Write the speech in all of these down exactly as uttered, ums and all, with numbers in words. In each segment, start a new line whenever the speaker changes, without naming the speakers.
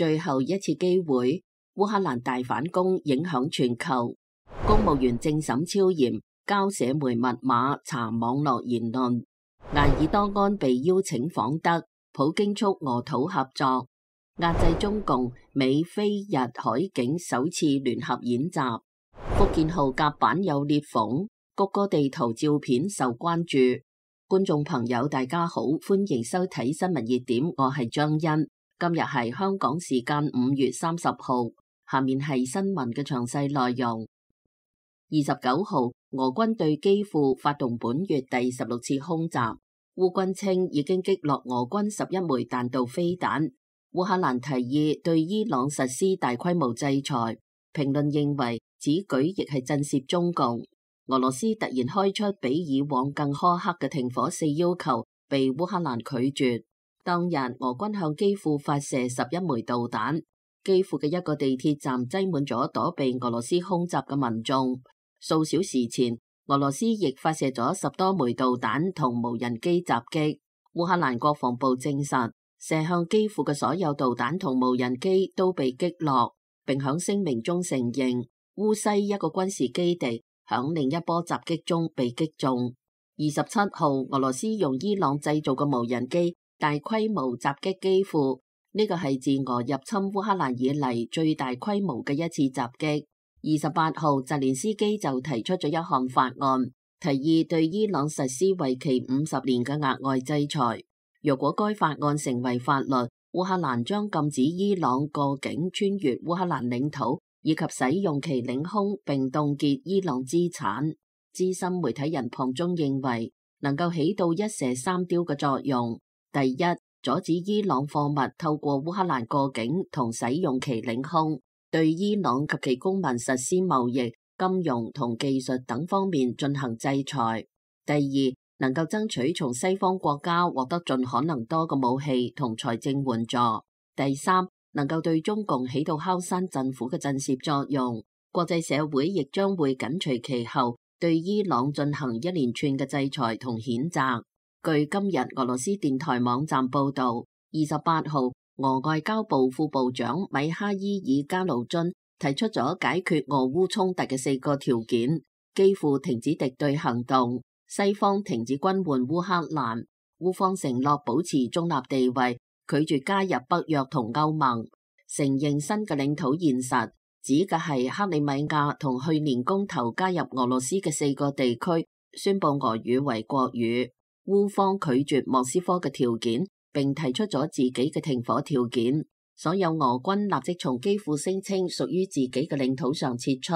最後一次機會，烏克蘭大反攻影響全球。公務員政審超嚴，交社媒密碼查網絡言論。埃爾多安被邀請訪德，普京促俄土合作。壓制中共，美菲日海警首次聯合演習。福建號甲板有裂縫，谷歌地圖照片受關注。觀眾朋友大家好，歡迎收睇新聞熱點，我係張欣。今日係香港時間五月三十號，下面係新聞嘅詳細內容。二十九號，俄軍對基輔發動本月第十六次空襲，烏軍稱已經擊落俄軍十一枚彈道飛彈。烏克蘭提議對伊朗實施大規模制裁，評論認為此舉亦係震懾中共。俄羅斯突然開出比以往更苛刻嘅停火四要求，被烏克蘭拒絕。當日俄軍向基輔發射十一枚導彈，基輔嘅一個地鐵站擠滿咗躲避俄羅斯空襲嘅民眾。數小時前，俄羅斯亦發射咗十多枚導彈同無人機襲擊。烏克蘭國防部證實，射向基輔嘅所有導彈同無人機都被擊落，並響聲明中承認烏西一個軍事基地響另一波襲擊中被擊中。二十七號，俄羅斯用伊朗製造嘅無人機大規模襲擊基輔，呢個係自俄入侵烏克蘭以嚟最大規模嘅一次襲擊。二十八號，澤連斯基就提出咗一項法案，提議對伊朗實施為期五十年嘅額外制裁。若果該法案成為法律，烏克蘭將禁止伊朗過境穿越烏克蘭領土，以及使用其領空，並凍結伊朗資產。資深媒體人龐中認為，能夠起到一石三雕嘅作用。第一，阻止伊朗貨物透過烏克蘭過境同使用其領空，對伊朗及其公民實施貿易、金融同技術等方面進行制裁。第二，能夠爭取從西方國家獲得盡可能多嘅武器同財政援助。第三，能夠對中共起到敲山震虎嘅震懾作用。國際社會亦將會緊隨其後，對伊朗進行一連串嘅制裁同譴責。據今日俄羅斯電台網站報道，二十八號，俄外交部副部長米哈伊爾加魯津提出咗解決俄烏衝突嘅四個條件：基輔停止敵對行動，西方停止軍援烏克蘭，烏方承諾保持中立地位，拒絕加入北約同歐盟，承認新嘅領土現實，指嘅係克里米亞同去年公投加入俄羅斯嘅四個地區，宣布俄語為國語。烏方拒絕莫斯科嘅條件，並提出咗自己嘅停火條件。所有俄軍立即從基輔聲稱屬於自己嘅領土上撤出，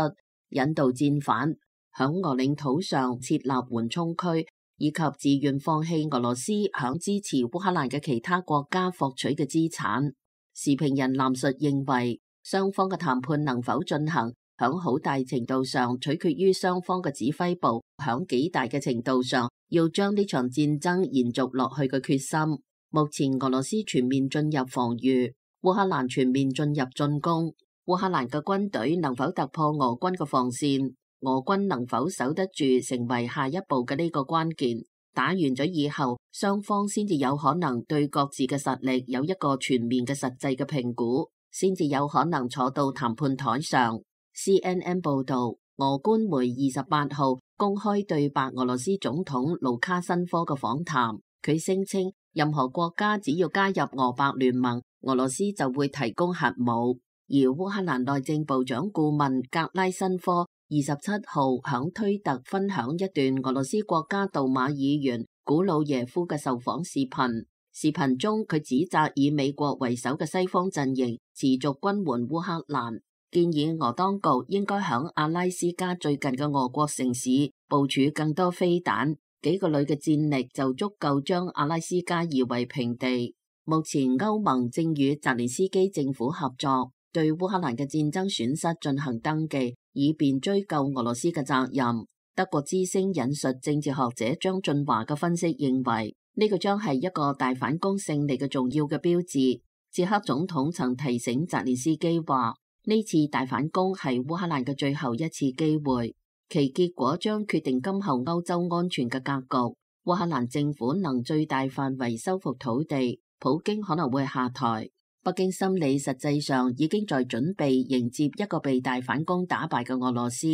引導戰犯響俄領土上設立緩衝區，以及自願放棄俄羅斯響支持烏克蘭嘅其他國家獲取嘅資產。時評人藍述認為，雙方嘅談判能否進行，響好大程度上取決於雙方嘅指揮部響幾大嘅程度上要將呢場戰爭延續落去嘅決心。目前俄羅斯全面進入防禦，烏克蘭全面進入進攻。烏克蘭嘅軍隊能否突破俄軍嘅防線，俄軍能否守得住，成為下一步嘅呢個關鍵。打完咗以後，雙方先至有可能對各自嘅實力有一個全面嘅實際嘅評估，先至有可能坐到談判台上。C N N 報道，俄官媒二十八號公開對白俄羅斯總統盧卡申科嘅訪談，佢聲稱任何國家只要加入俄白聯盟，俄羅斯就會提供核武。而烏克蘭內政部長顧問格拉申科二十七號響推特分享一段俄羅斯國家杜馬議員古魯耶夫嘅受訪視頻，視頻中佢指責以美國為首嘅西方陣營持續軍援烏克蘭，建議俄當局應該響阿拉斯加最近嘅俄國城市部署更多飛彈，幾個旅嘅戰力就足夠將阿拉斯加夷為平地。目前歐盟正與澤連斯基政府合作，對烏克蘭嘅戰爭損失進行登記，以便追究俄羅斯嘅責任。德國之聲引述政治學者張俊華嘅分析認為，呢個將係一個大反攻勝利嘅重要嘅標誌。捷克總統曾提醒澤連斯基話，呢次大反攻係烏克蘭嘅最後一次機會，其結果將決定今後歐洲安全嘅格局。烏克蘭政府能最大範圍收復土地，普京可能會下台。北京心理實際上已經在準備迎接一個被大反攻打敗嘅俄羅斯。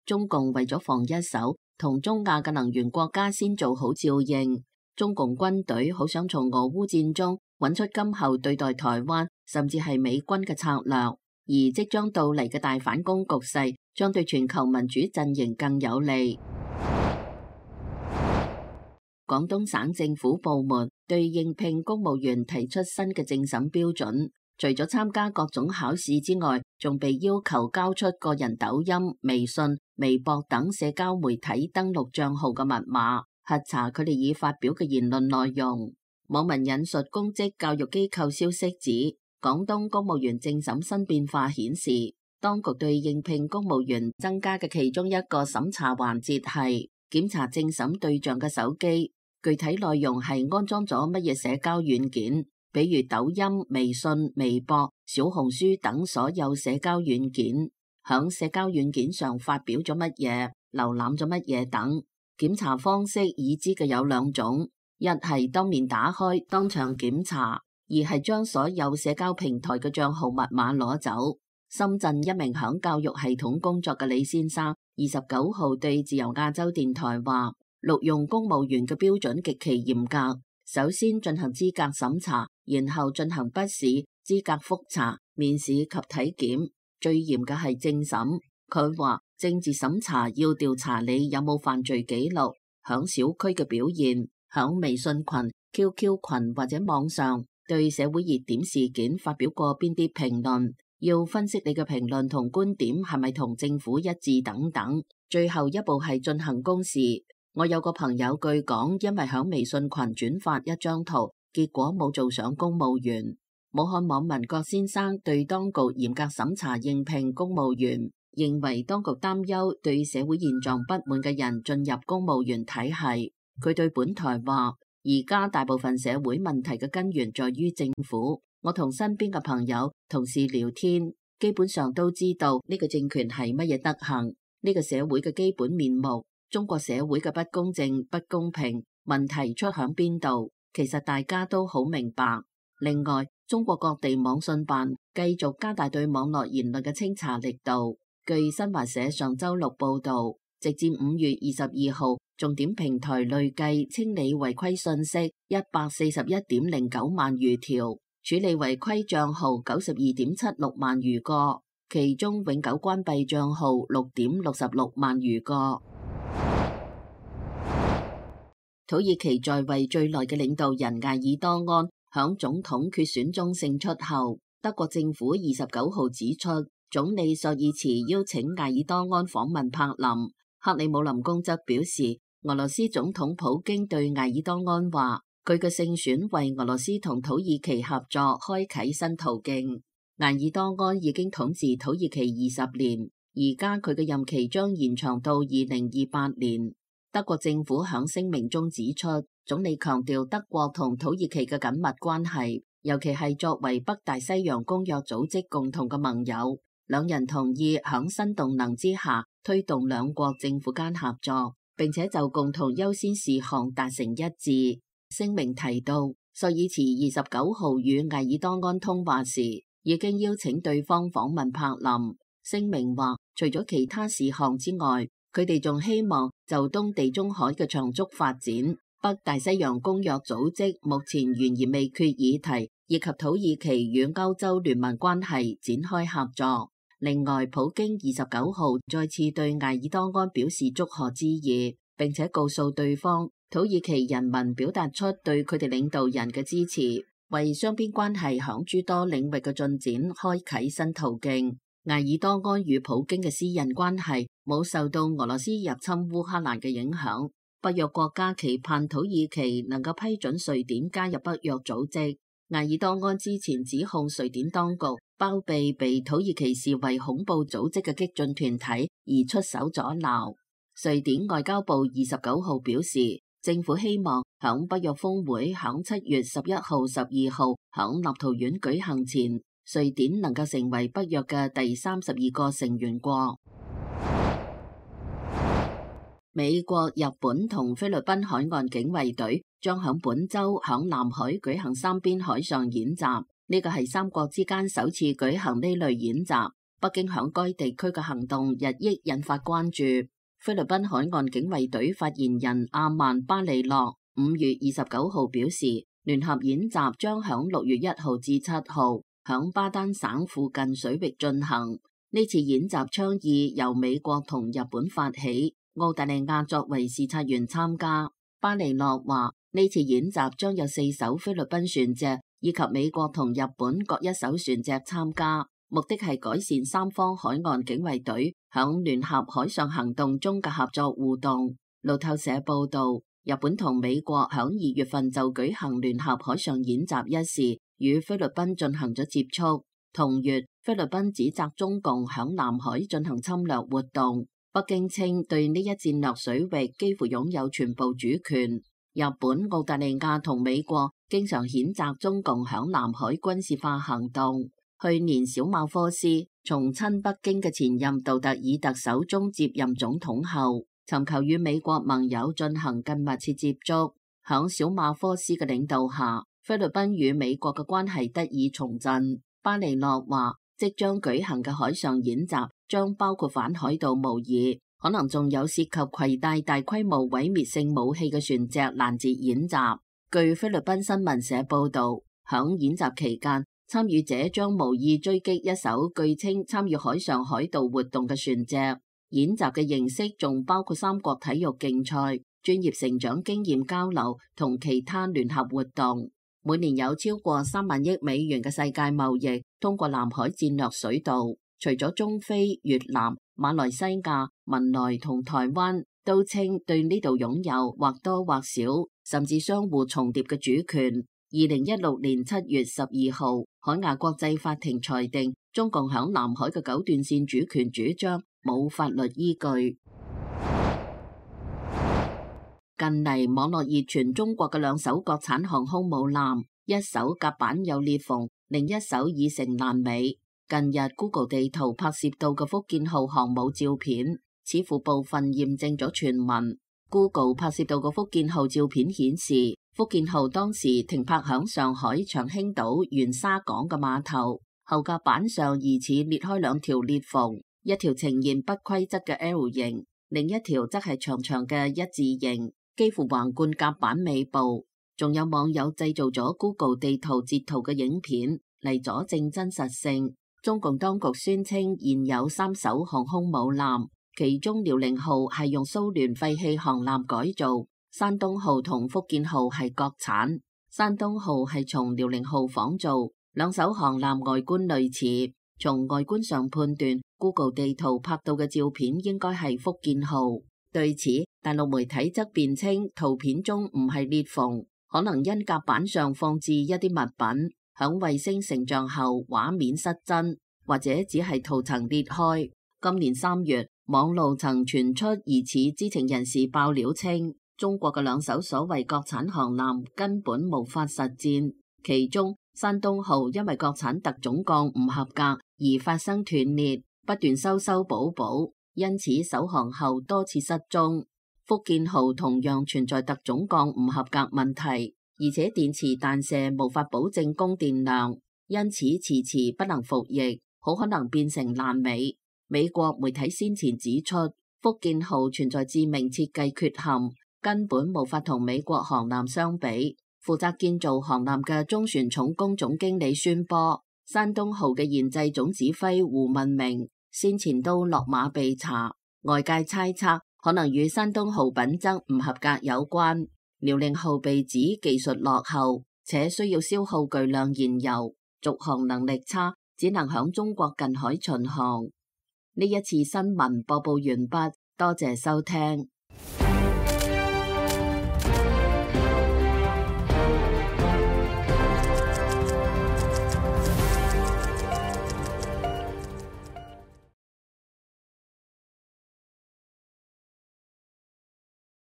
中共為咗防一手，同中亞嘅能源國家先做好照應。中共軍隊好想從俄烏戰中揾出今後對待台灣甚至係美軍嘅策略，而即將到嚟嘅大反攻局勢將對全球民主陣營更有利。廣東省政府部門對應聘公務員提出新嘅政審標準，除咗參加各種考試之外，仲被要求交出個人抖音、微信、微博等社交媒體登錄賬號嘅密碼，核查佢哋已發表嘅言論內容。網民引述公職教育機構消息指，廣東公務員政審新變化顯示，當局對應聘公務員增加嘅其中一個審查環節係檢查政審對象嘅手機，具體內容係安裝咗乜嘢社交軟件，比如抖音、微信、微博、小紅書等所有社交軟件，響社交軟件上發表咗乜嘢、瀏覽咗乜嘢等。檢查方式已知嘅有兩種，一係當面打開當場檢查，二係將所有社交平台嘅賬號密碼攞走。深圳一名響教育系統工作嘅李先生，二十九號對自由亞洲電台話，錄用公務員嘅標準極其嚴格，首先進行資格審查，然後進行筆試、資格複查、面試及體檢，最嚴嘅係政審。佢話政治審查要調查你有冇犯罪記錄，響小區嘅表現，響微信群、Q Q 群或者網上對社會熱點事件發表過邊啲評論，要分析你嘅評論同觀點係咪同政府一致等等。最後一步係進行公示。我有個朋友據講，因為響微信群轉發一張圖，結果冇做上公務員。武漢網民郭先生對當局嚴格審查應聘公務員，認為當局擔憂對社會現狀不滿嘅人進入公務員體系。佢對本台話，而家大部分社會問題嘅根源在於政府。我同身邊嘅朋友、同事聊天，基本上都知道呢個政權係乜嘢德行，呢個社會嘅基本面目，中國社會嘅不公正、不公平，問題出響邊度，其實大家都好明白。另外，中國各地網信辦繼續加大對網絡言論嘅清查力度。據新華社上周六報道，直至五月二十二號，重點平台累計清理違規信息一百四十一點零九萬餘條，處理違規賬號九十二點七六萬餘個，其中永久關閉賬號六點六十六萬餘個。土耳其在位最耐嘅領導人艾爾多安響總統決選中勝出後，德國政府二十九號指出，總理朔爾茨邀請艾爾多安訪問柏林。克里姆林宮則表示，俄羅斯總統普京對艾爾多安話，佢嘅勝選為俄羅斯同土耳其合作開啟新途徑。艾爾多安已經統治土耳其二十年，而家佢嘅任期將延長到二零二八年。德國政府響聲明中指出，總理強調德國同土耳其嘅緊密關係，尤其係作為北大西洋公約組織共同嘅盟友，兩人同意響新動能之下推動兩國政府間合作，並且就共同優先事項達成一致。聲明提到，朔爾茨二十九號與艾爾多安通話時，已經邀請對方訪問柏林。聲明話，除咗其他事項之外，佢哋仲希望就東地中海嘅長足發展、北大西洋公約組織目前懸而未決議題，以及土耳其與歐洲聯盟關係展開合作。另外，普京二十九號再次對艾爾多安表示祝賀之意，並且告訴對方，土耳其人民表達出對佢哋領導人嘅支持，為雙邊關係響諸多領域嘅進展開啟新途徑。艾爾多安與普京嘅私人關係冇受到俄羅斯入侵烏克蘭嘅影響。北約國家期盼土耳其能夠批准瑞典加入北約組織。艾爾多安之前指控瑞典當局包庇被土耳其視為恐怖組織嘅激進團體而出手阻撓。瑞典外交部二十九號表示，政府希望響北約峰會響七月十一號、十二號響立陶宛舉行前，瑞典能夠成為北約嘅第三十二個成員國。美國、日本同菲律賓海岸警衛隊將響本周響南海舉行三邊海上演習，呢個係三國之間首次舉行呢類演習，北京響該地區嘅行動日益引發關注。菲律賓海岸警衛隊發言人阿曼巴利諾五月二十九號表示，聯合演習將響六月一號至七號響巴丹省附近水域進行。呢次演習倡議由美國同日本發起，澳大利亞作為視察員參加。巴利諾話，呢次演習將有四艘菲律賓船隻以及美國同日本各一艘船隻參加，目的係改善三方海岸警衛隊響聯合海上行動中嘅合作互動。路透社報道，日本同美國響二月份就舉行聯合海上演習一事，與菲律賓進行咗接觸。同月，菲律賓指責中共響南海進行侵略活動，北京稱對呢一戰略水域幾乎擁有全部主權。日本、澳大利亞同美國經常譴責中共響南海軍事化行動。去年小馬科斯從親北京嘅前任杜特爾特首中接任總統後，尋求與美國盟友進行更密切接觸。響小馬科斯嘅領導下，菲律賓與美國嘅關係得以重振。巴利諾話，即將舉行嘅海上演習將包括反海盜模擬，可能仲有涉及攜帶大規模毀滅性武器嘅船隻攔截演習。據菲律賓新聞社報道，響演習期間，參與者將無意追擊一艘據稱參與海上海盜活動嘅船隻。演習嘅形式仲包括三國體育競賽、專業成長經驗交流同其他聯合活動。每年有超過三萬億美元嘅世界貿易通過南海戰略水道，除咗中非、越南、馬來西亞、文萊同台灣都稱對呢度擁有或多或少甚至相互重疊嘅主權。二零一六年七月十二號，海牙國際法庭裁定中共響南海嘅九段線主權主張冇法律依據。近嚟網絡熱傳中國嘅兩艘國產航空母艦，一艘甲板有裂縫，另一艘已成爛尾。近日 Google 地圖拍攝到嘅福建號航母照片，似乎部分驗證咗傳聞。Google 拍攝到嘅福建號照片顯示，福建號當時停泊響上海長興島元沙港嘅碼頭，後甲板上疑似裂開兩條裂縫，一條呈現不規則嘅 L 型，另一條則係長長嘅一字形，幾乎橫貫甲板尾部。仲有網友製造咗 Google 地圖截圖嘅影片嚟佐證真實性。中共當局宣稱現有三艘航空母艦，其中遼寧號係用蘇聯廢棄航艦改造，山東號同福建號係國產，山東號係從遼寧號仿造，兩艘航艦外觀類似。從外觀上判斷 ，Google 地圖拍到嘅照片應該係福建號。對此，大陸媒體則辯稱圖片中唔係裂縫，可能因甲板上放置一啲物品，響衛星成像後畫面失真，或者只係圖層裂開。今年三月，網路曾傳出疑似知情人士爆料稱，中國嘅兩艘所謂國產航艦根本無法實戰，其中山東號因為國產特種鋼唔合格而發生斷裂，不斷修修補補。因此首航後多次失蹤。福建號同樣存在特種鋼唔合格問題，而且電池彈射無法保證供電量，因此遲遲不能服役，好可能變成爛尾。美國媒體先前指出，福建號存在致命設計缺陷，根本無法同美國航艦相比。負責建造航艦嘅中船重工總經理宣波，山東號嘅研製總指揮胡文明先前都落馬被查，外界猜測可能與山東號品質唔合格有關。遼寧號被指技術落後，且需要消耗巨量燃油，續航能力差，只能響中國近海巡航。呢一次新聞播報完畢，多謝收聽。